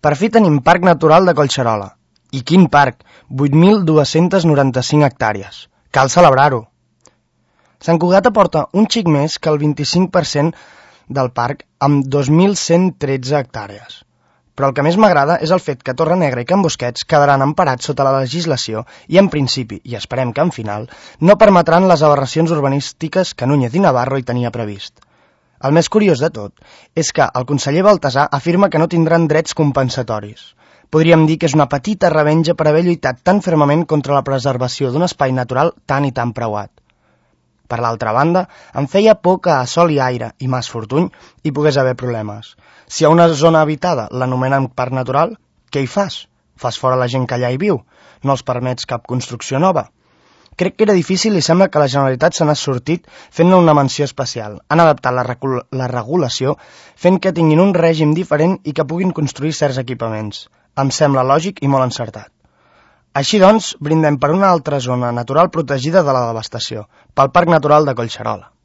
Per fi tenim Parc Natural de Collserola. I quin parc! 8.295 hectàrees. Cal celebrar-ho. Sant Cugat aporta un xic més que el 25% del parc amb 2.113 hectàrees. Però el que més m'agrada és el fet que Torrenegra i Can Busquets quedaran emparats sota la legislació i en principi, i esperem que en final, no permetran les aberracions urbanístiques que Núñez i Navarro hi tenia previst. El més curiós de tot és que el conseller Baltasar afirma que no tindran drets compensatoris. Podríem dir que és una petita revenja per haver lluitat tan fermament contra la preservació d'un espai natural tan i tan preuat. Per l'altra banda, em feia por que a Sol i Aire i Mas Fortuny hi pogués haver problemes. Si a una zona habitada l'anomenen parc natural, què hi fas? Fas fora la gent que allà hi viu? No els permets cap construcció nova? Crec que era difícil i sembla que la Generalitat se n'ha sortit fent-ne una menció especial. Han adaptat la regulació fent que tinguin un règim diferent i que puguin construir certs equipaments. Em sembla lògic i molt encertat. Així doncs, brindem per una altra zona natural protegida de la devastació, pel Parc Natural de Collserola.